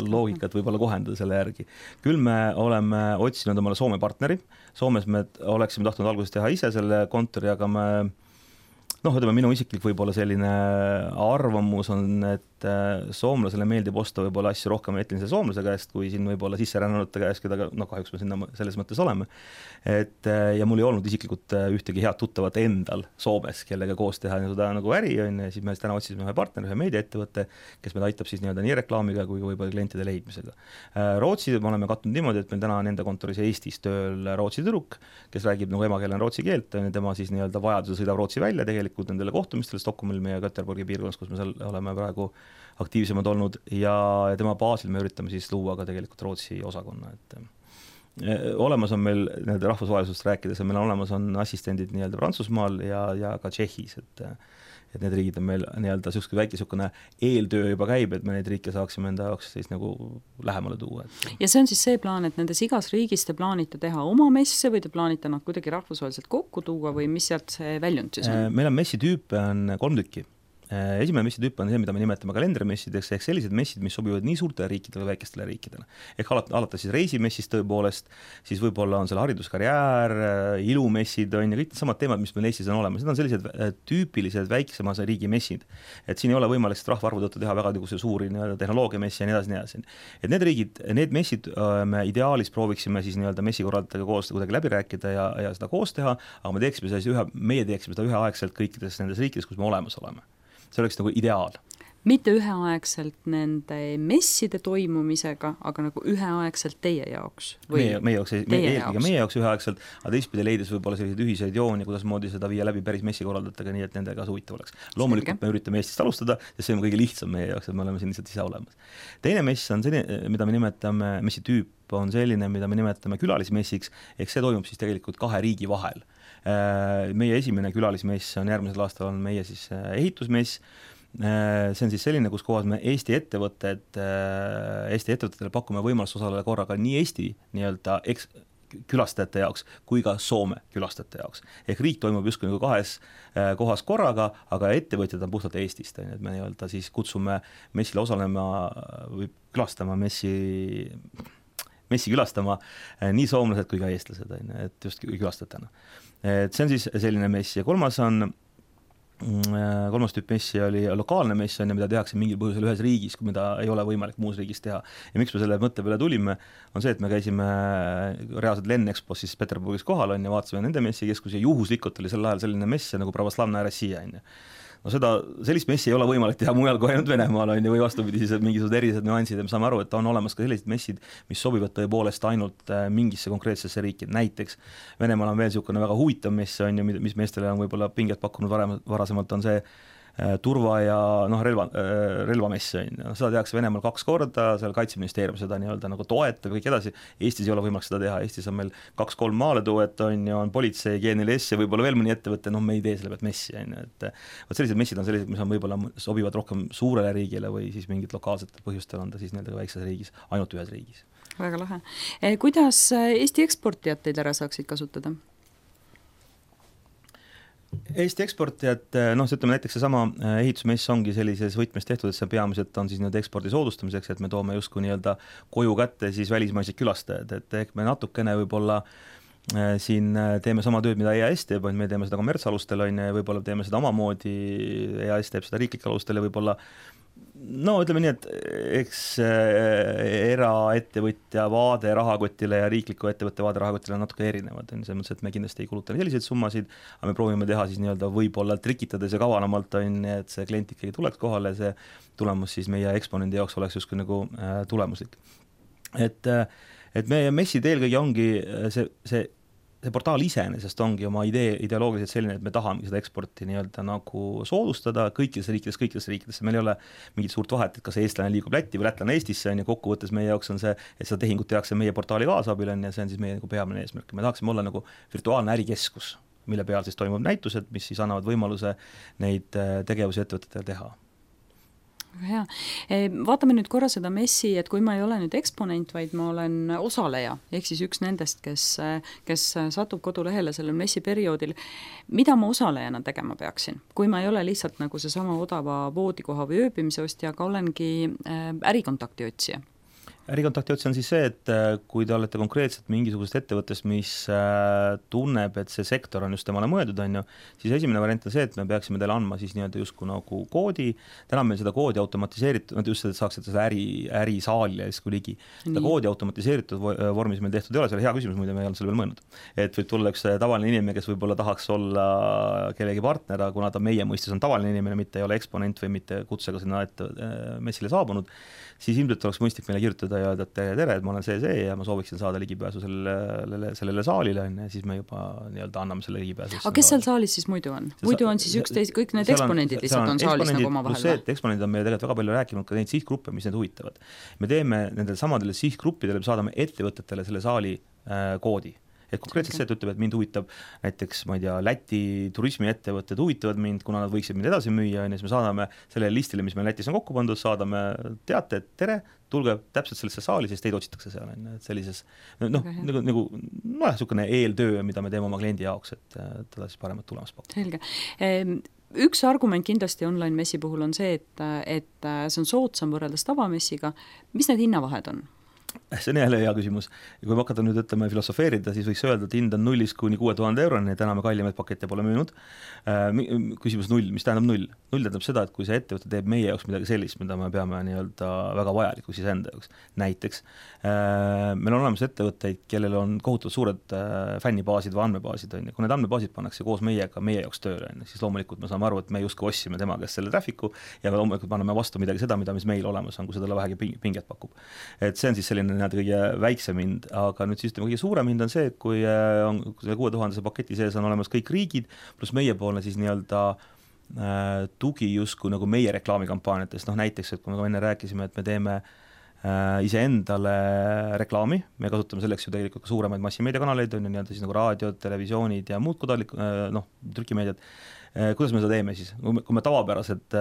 loogikat võib-olla kohendada selle järgi. Küll me oleme otsinud omale Soome partneri, Soomes me oleksime tahtnud alguses teha ise selle kontori, aga me noh, ütleme, minu isiklik võib-olla selline arvamus on, et soomlasele meeldib osta võib-olla asju rohkem etnilise soomlase käest, kui siin võib-olla sisserännanute käest, keda noh, kahjuks me sinna selles mõttes oleme. Et, ja mul ei olnud isiklikult ühtegi head tuttavat endal Soomes, kellega koos teha seda nagu äri on, ja siis me täna otsisime ühe partneri, ühe meediaettevõtte, kes meid aitab siis nii-öelda nii reklaamiga kui võib-olla klientide leidmisega. Rootsi me oleme katnud niimoodi, et meil täna nende kontoris Eestis tööl Rootsi tüdruk, kes räägib nagu emakeelena rootsi keelt, tema siis nii-öelda vajaduse sõidab Rootsi välja tegelikult nendele kohtumistele Stockholmil meie Göteborgi piirkonnas, kus me seal oleme praegu aktiivsemad olnud ja tema baasil me üritame siis luua ka tegelikult Rootsi osakonna, et olemas on meil nii-öelda rahvusvahelisust rääkides ja meil on olemas on assistendid nii-öelda Prantsusmaal ja, ja ka Tšehhis, et et need riigid on meil nii-öelda selline väike selline eeltöö juba käib, et me neid riike saaksime enda jaoks siis nagu lähemale tuua. Et... Ja see on siis see plaan, et nendes igas riigis te plaanite teha oma messe või te plaanite nad kuidagi rahvusvaheliselt kokku tuua või mis sealt see väljund siis on? Meil on messitüüpe on kolm tükki. Esimene messitüüp on see, mida me nimetame kalendrimessideks, ehk sellised messid, mis sobivad nii suurtele riikidele, väikestele riikidele. Ehk alates siis reisimessist tõepoolest, siis võib-olla on seal hariduskarjäär, ilumessid on ja kõik need samad teemad, mis meil Eestis on olemas. Need on sellised tüüpilised väiksema riigi messid. Et siin ei ole võimalik rahvaarvu tõttu teha väga suuri tehnoloogiamessi ja nii edasi, nii edasi. Et need riigid, need messid me ideaalis prooviksime siis nii-öelda messikorraldajatega koos kuidagi läbi rääkida ja, ja seda koos teha, aga me teeksime siis ühe, meie teeksime seda üheaegselt kõikides nendes riikides, kus me olemas oleme. See oleks nagu ideaal. Mitte üheaegselt nende messide toimumisega, aga nagu üheaegselt teie jaoks? Või meie, meie jaoks, meie, jaoks. meie jaoks üheaegselt, aga teistpidi leides võib-olla selliseid ühiseid jooni, kuidas moodi seda viia läbi päris messikorraldajatega, nii et nendega huvitav oleks. Loomulikult Selge. Me üritame Eestist alustada, sest see on kõige lihtsam meie jaoks, et me oleme siin lihtsalt ise olemas. Teine mess on selline, mida me nimetame, messitüüp on selline, mida me nimetame külalismessiks, ehk see toimub siis tegelikult kahe riigi vahel. Meie esimene külalismess on järgmisel aastal on meie siis ehitusmess. See on siis selline, kus kohas me Eesti ettevõtted, Eesti ettevõtetele pakume võimalust osaleda korraga nii Eesti nii-öelda eks külastajate jaoks kui ka Soome külastajate jaoks. Ehk riik toimub justkui nagu kahes kohas korraga, aga ettevõtjad on puhtalt Eestist. Et me nii-öelda siis kutsume messile osalema või külastama messi messi külastama nii soomlased kui ka eestlased, et just külastajatena. Et see on siis selline mess ja kolmas on kolmas tüüp messi oli lokaalne mess, on, mida tehakse mingil põhjusel ühes riigis, mida ei ole võimalik muus riigis teha. Ja miks me selle mõtte peale tulime, on see, et me käisime reaalselt Lennexpos siis Peterburgis kohal on ja vaatasime nende messikeskus ja juhuslikult oli sel ajal selline mess nagu Pravoslavna Rossija on. No seda, sellist messi ei ole võimalik teha mujal kui ainult Venemaal on, või vastupidi siis mingisugused erised nüansid ja me saame aru, et on olemas ka sellised messid, mis sobivad tõepoolest ainult mingisse konkreetsesse riiki. Näiteks Venemaal on veel niisugune väga huvitav mess on, mis meestele on võib-olla pinget pakkunud varem, varasemalt on see turva ja noh, relva, relvamess on. Seda tehakse Venemaal kaks korda, seal Kaitseministeerium seda nii-öelda nagu toetab kõik edasi. Eestis ei ole võimalik seda teha, Eestis on meil kaks-kolm maaletuet on ja on politsei, G N L S ja võib-olla veel mõni ettevõte, noh me ei tee selle pealt messi. Et võt sellised messid on sellised, mis on võib-olla sobivad rohkem suurele riigile või siis mingid lokaalsed põhjustel on ta siis nii-öelda väikses riigis, ainult ühes riigis. Väga lahe. Kuidas Eesti eksportijad teid ära saaksid kasutada? Eesti eksportijad, noh, ütleme näiteks seesama ehitusmess ongi sellises võtmes tehtud, et see peamiselt on siis nii-öelda ekspordi soodustamiseks, et me toome justkui nii-öelda koju kätte siis välismaised külastajad, et ehk me natukene võib-olla siin teeme sama tööd, mida E A S teeb, me teeme seda kommertsalustel on ja võib-olla teeme seda omamoodi, E A S teeb seda riiklik alustel ja võib-olla no ütleme nii, et eks eraettevõtja vaade rahakotile ja riikliku ettevõtte vaade rahakotile on natuke erinevad, on selles mõttes, et me kindlasti ei kuluta selliseid summasid, aga me proovime teha siis nii-öelda võib-olla trikitades ja kavanamalt on, et see klient ikkagi tuleks kohale, see tulemus siis meie eksponendi jaoks oleks justkui nagu tulemuslik. Et, et meie messid eelkõige ongi see, see see portaal iseenesest ongi oma idee, ideoloogiliselt selline, et me tahame seda eksporti nii-öelda nagu soodustada kõikides riikides, kõikides riikidesse, meil ei ole mingit suurt vahet, et kas eestlane liigub Lätti või lätlane Eestisse, on ja kokkuvõttes meie jaoks on see, et seda tehingut tehakse meie portaali kaasabil, on ja see on siis meie nagu peamine eesmärk. Me tahaksime olla nagu virtuaalne ärikeskus, mille peal siis toimub näitused, mis siis annavad võimaluse neid tegevusi ettevõtetele teha. Hea. Vaatame nüüd korra seda messi, et kui ma ei ole nüüd eksponent, vaid ma olen osaleja, ehk siis üks nendest, kes, kes satub kodulehele sellel messi perioodil, mida ma osalejana tegema peaksin? Kui ma ei ole lihtsalt nagu see sama odava voodikoha või ööbimise ostja, aga olengi ärikontakti otsija. Ärikontakti otsi on siis see, et kui te olete konkreetselt mingisugusest ettevõttest, mis tunneb, et see sektor on just temale mõeldud, on ju, siis esimene variant on see, et me peaksime teile andma siis nii-öelda justkui nagu koodi, täna meil seda koodi automatiseeritud, just et saaksite seda äri, ärisaali ja siis kui ligi. Seda koodi automatiseeritud vormis meil tehtud ei ole, see oli hea küsimus, muide me ei olnud selle veel mõelnud. Et võib tulla üks tavaline inimene, kes võib-olla tahaks olla kellegi partner, kuna ta meie mõistes on tavaline inimene, mitte ei ole eksponent või mitte kutsega sinna ette messile saabunud, siis ilmselt oleks mõistlik meile kirjutada ja öelda, et tere, tere, et ma olen see, see ja ma sooviksin saada ligipääsu sellele, sellele saalile, ja siis me juba nii-öelda anname selle ligipääsu. Aga kes seal saalis siis muidu on? Muidu on siis üksteis, kõik need eksponendid lihtsalt on saalis nagu oma vahel? See, et eksponendid on meile tegelikult väga palju rääkinud ka neid sihtgruppe, mis need huvitavad. Me teeme nendele samadele sihtgruppidele, me saadame ettevõtetele selle saali äh, koodi. Et konkreetselt see, et ütleb, et mind huvitab näiteks, ma ei tea, Läti turismiettevõtted huvitavad mind, kuna nad võiksid mind edasi müüa, ja siis me saadame selle listile, mis meil Lätis on kokku pandud, saadame teate, et tere, tulge täpselt sellesse saali, siis teid otsitakse seal, et sellises, noh, nagu, nagu no, niisugune eeltöö, mida me teeme oma kliendi jaoks, et teda siis paremat tulemas pakkuda. Selge. Üks argument kindlasti online messi puhul on see, et, et see on soodsam võrreldes tavamessiga. Mis need hinnavahed on? See on jälle hea küsimus. Ja kui me hakata nüüd ütleme filosofeerida, siis võiks öelda, et hind on nullist kuni kuue tuhande euroni, täna me kallimaid pakette pole müünud. Küsimus null, mis tähendab null? Null tähendab seda, et kui see ettevõte teeb meie jaoks midagi sellist, mida me peame nii-öelda väga vajalikuks siis enda jaoks. Näiteks, meil on olemas ettevõtteid, kellel on kohutavalt suured fännibaasid või andmebaasid, on ja kui need andmebaasid pannakse koos meiega meie jaoks tööle, siis loomulikult me saame aru, et me justkui ossime tema käest selle traffiku ja me loomulikult paneme vastu midagi seda, mida mis meil olemas on, kui seda vähegi pinget pakub. Et see on siis selline nii-öelda kõige väiksem hind, aga nüüd siis kõige suurem hind on see, et kui on kuue tuhandese paketi sees on olemas kõik riigid, pluss meiepoolne siis nii-öelda äh, tugi justkui nagu meie reklaamikampaaniatest, noh näiteks, et kui me enne rääkisime, et me teeme äh, iseendale reklaami, me kasutame selleks ju tegelikult ka suuremaid massimeediakanaleid, on ju nii-öelda siis nagu raadiod, televisioonid ja muud kodalik, äh, noh, trükimeediat. Kuidas me seda teeme siis? Kui me tavapäraselt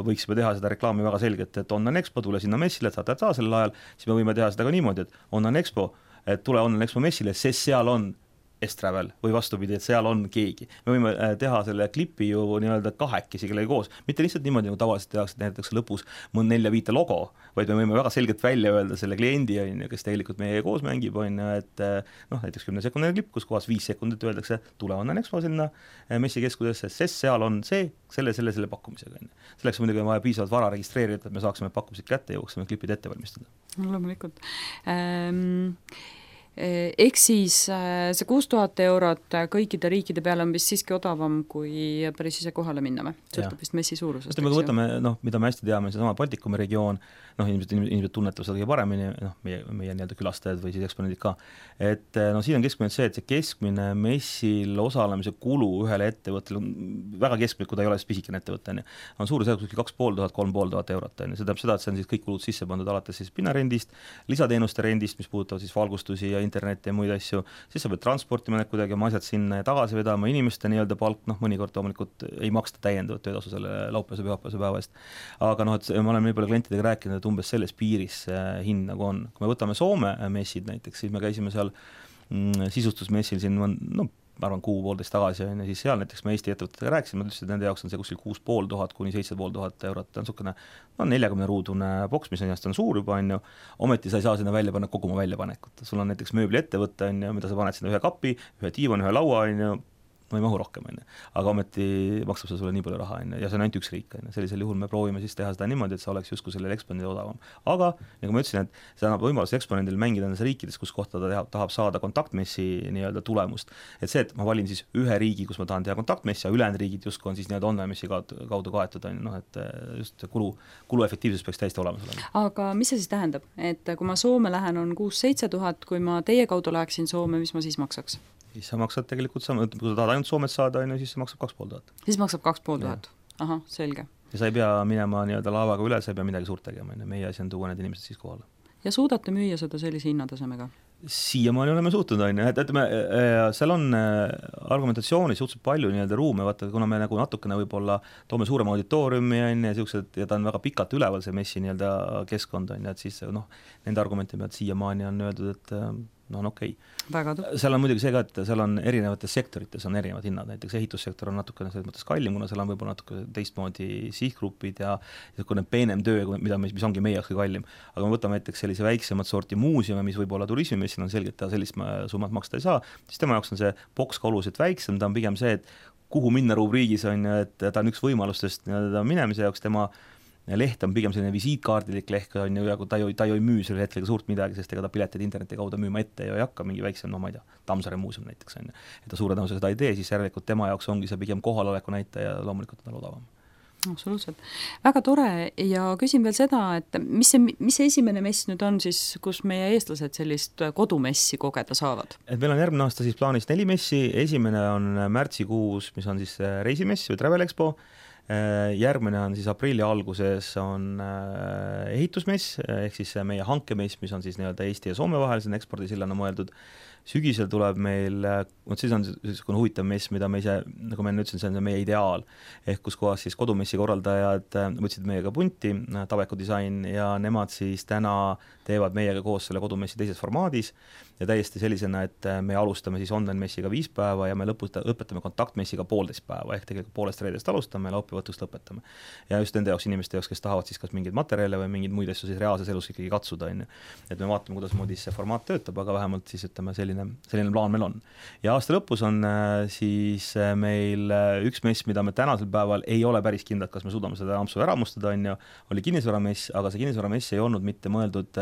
võiksime teha seda reklaami väga selgelt, et Online Expo, tule sinna messile, et saate saa sellel ajal, siis me võime teha seda ka niimoodi, et Online Expo, et tule Online Expo messile, sest seal on S-Travel või vastupidi, et seal on keegi. Me võime teha selle klipi ju nii-öelda kahekesi kellegi koos, mitte lihtsalt niimoodi, nagu tavaliselt tehakse, et näiteks lõpus mõn nelja viite logo, vaid me võime väga selgelt välja öelda selle kliendi, kes tegelikult meie koos mängib, on, et noh, näiteks kümne sekundine klipp, kus kohas viis sekundit öeldakse, tule Online Expo sinna messikeskusesse, sest seal on see, selle, selle, selle pakkumisega. Selleks muidugi on vaja piisavalt vara registreerida, et me saaksime pakkumised kätte ja jõuaksime klipid ette valmistada. Loomulikult. Ähm... Ehk siis see kuus tuhat eurot kõikide riikide peale on vist siiski odavam, kui päris ise kohale minna või? Sõltub vist messi suurusest. Kui võtame, noh, mida me hästi teame, see sama Baltikumi regioon, noh, inimesed, inimesed tunnetavad seda kõige paremini, noh, meie, meie nii-öelda külastajad või siis eksponendid ka. Et no siin on keskmine see, et see keskmine messil osalemise kulu ühele ettevõttele, väga keskmine, kui ta ei ole pisikene ettevõtte, on suurusjärgus kaks pool tuhat, kolm pool tuhat eurot. See tähendab seda, et see on siis kõik kulud sisse pandud alates siis pinnarendist, lisateenuste rendist, mis puudutavad siis valgustusi ja internet ja muid asju, siis sa pead transportima need kuidagi oma asjad sinna ja tagasi vedama, inimeste nii-öelda palk, noh, mõnikord loomulikult ei maksta täiendavat töötasu selle laupäevase pühapäevase päeva eest. Aga noh, et ma olen nii palju klientidega rääkinud, et umbes selles piiris hind nagu on. Kui me võtame Soome messid näiteks, siis me käisime seal mm, sisustusmessil siin, no, ma arvan, kuu poolteist tagasi, ja siis seal näiteks me Eesti ettevõtetega rääkisime, ma ütlesin, et nende jaoks on see kuskil kuus pool tuhat kuni seitse pool tuhat eurot, ta on niisugune no, neljakümne ruudune boks, mis on jast on suur juba, on ju, ometi sa ei saa sinna välja panna kogu oma väljapanekut. Sul on näiteks mööbliettevõte, on ju, mida sa paned sinna ühe kapi, ühe tiivan, ühe laua, on ju, no ei mahu rohkem, on ju. Aga ometi maksab see sulle nii palju raha, on ju, ja see on ainult üks riik, on ju. Sellisel juhul me proovime siis teha seda niimoodi, et see oleks justkui sellele eksponendil odavam. Aga nagu ma ütlesin, et see annab võimalus eksponendil mängida nendes riikides, kus kohta ta teha, tahab saada kontaktmessi nii-öelda tulemust. Et see, et ma valin siis ühe riigi, kus ma tahan teha kontaktmessi, ja ülejäänud riigid justkui on siis nii-öelda online-messi kaudu kaetud, on ju, noh, et just kulu, kuluefektiivsus peaks täiesti olemas olema. Aga mis see siis tähendab? Et kui ma Soome lähen, on kuus-seitse tuhat, kui ma teie kaudu läheksin Soome, mis ma siis maksaks? Siis sa maksad tegelikult sama, kui sa tahad ainult Soomet saada, siis see maksab kaks pool tuhat. Siis maksab kaks pool tuhat. Ahah, selge. Ja sa ei pea minema nii-öelda laevaga üle, sa ei pea midagi suurt tegema. Meie asi on tuua need inimesed siis kohale. Ja suudate müüa seda sellise hinnatasemega? Siiamaani oleme suutnud, on ju, et, et me, seal on argumentatsiooni suhteliselt palju nii-öelda ruume, vaata, kuna me nagu natukene võib-olla toome suurema auditooriumi, on ju, ja, siuksed, ja ta on väga pikalt üleval, see messi nii-öelda keskkond, on ju, et siis noh, nende argumenti pealt siiamaani on öeldud, et no on okei okay.. seal on muidugi see ka, et seal on erinevates sektorites on erinevad hinnad, näiteks ehitussektor on natukene selles mõttes kallim, kuna seal on võib-olla natuke teistmoodi sihtgrupid ja niisugune peenem töö, mida, mis ongi meie jaoks kallim. Aga me võtame näiteks sellise väiksemat sorti muuseume, mis võib-olla turismimessil on selgelt, ta sellist summat maksta ei saa, siis tema jaoks on see boks ka oluliselt väiksem, ta on pigem see, et kuhu minna rubriigis on, et ta on üks võimalustest minemise jaoks, tema leht on pigem selline visiitkaardilik leht, on ju, ja ta ei, ta ei müü selle hetkega suurt midagi, sest ega ta piletid interneti kaudu müüma ette ja ei hakka mingi väiksem, no ma ei tea, Tammsaare muuseum näiteks on ju. Et ta suure tõenäosusega seda ei tee, siis järelikult tema jaoks ongi see pigem kohaloleku näitaja ja loomulikult on odavam. Absoluutselt. Väga tore ja küsin veel seda, et mis see, mis see esimene mess nüüd on siis, kus meie eestlased sellist kodumessi kogeda saavad? Et meil on järgmine aasta siis plaanis neli messi, esimene on märtsikuus, mis on siis reisimess või Travel Expo, järgmine on siis aprilli alguses on ehitusmess, ehk siis meie hankemess, mis on siis nii-öelda Eesti ja Soome vahel, see on ekspordisillana mõeldud. Sügisel tuleb meil, vot siis on selline huvitav mess, mida me ise, nagu ma enne ütlesin, see on meie ideaal, ehk kus kohas siis kodumessi korraldajad võtsid meiega punti, Tabeku disain, ja nemad siis täna teevad meiega koos selle kodumessi teises formaadis ja täiesti sellisena, et me alustame siis online-messiga viis päeva ja me lõputa, õpetame kontaktmessiga poolteist päeva, ehk tegelikult poolest reedest alustame ja laupäevõtust lõpetame. Ja just nende jaoks inimeste jaoks, kes tahavad siis kas mingeid materjale või mingeid muid asju siis reaalses elus ikkagi katsuda, on ju. Et me vaatame, kuidas moodi see formaat töötab, aga vähemalt siis ütleme selline, selline plaan meil on. Ja aasta lõpus on siis meil üks mess, mida me tänasel päeval ei ole päris kindlad, kas me suudame seda ampsu ära mustada, on ju, oli kinnisvaramess, aga see kinnisvaramess ei olnud mitte mõeldud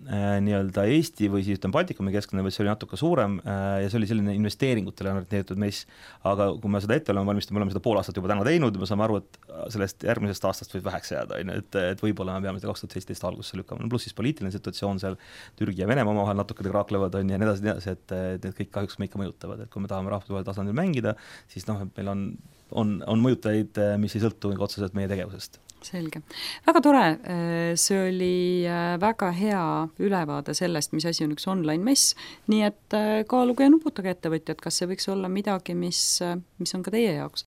nii-öelda Eesti või siis ütleme Baltikumi keskne, vaid see oli natuke suurem ja see oli selline investeeringutele orienteeritud mess, aga kui me seda ette oleme valmistanud, me oleme seda pool aastat juba täna teinud ja me saame aru, et sellest järgmisest aastast võib väheks jääda, et, et võib-olla me peame seda kaks tuhat seitseteist algusesse lükkama, pluss siis poliitiline situatsioon seal, Türgi ja Venemaa omavahel natuke kraaklevad on ja nii edasi, nii edasi, et need kõik kahjuks me ikka mõjutavad, et kui me tahame rahvusvahelisel tasandil mängida, siis noh, et meil on, on, on mõjutajaid, mis ei sõltu otseselt meie tegevusest. Selge. Väga tore, see oli väga hea ülevaade sellest, mis asi on üks online-mess, nii et kaaluge ja nuputage ettevõtjad, kas see võiks olla midagi, mis, mis on ka teie jaoks.